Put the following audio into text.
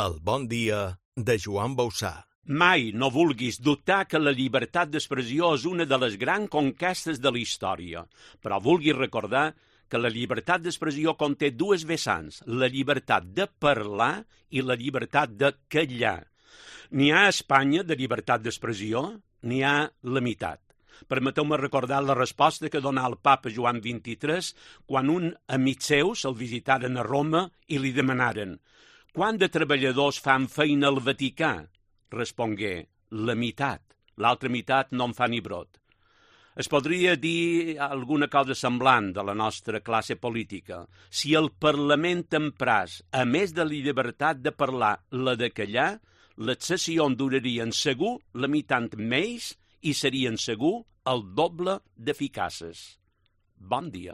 El bon dia de Joan Bauçà. Mai no vulguis dubtar que la llibertat d'expressió és una de les grans conquestes de la història, però vulguis recordar que la llibertat d'expressió conté dues vessants, la llibertat de parlar i la llibertat de callar. N'hi ha a Espanya de llibertat d'expressió, n'hi ha la meitat. Permeteu-me recordar la resposta que donà el papa Joan XXIII quan un amic seus el visitaren a Roma i li demanaren «Quant de treballadors fan feina al Vaticà?» Respongué, la meitat. L'altra meitat no en fa ni brot. Es podria dir alguna cosa semblant de la nostra classe política. Si el Parlament empràs, a més de la llibertat de parlar, la de callar, les sessions durarien segur la meitat més i serien segur el doble d'eficaces. Bon dia.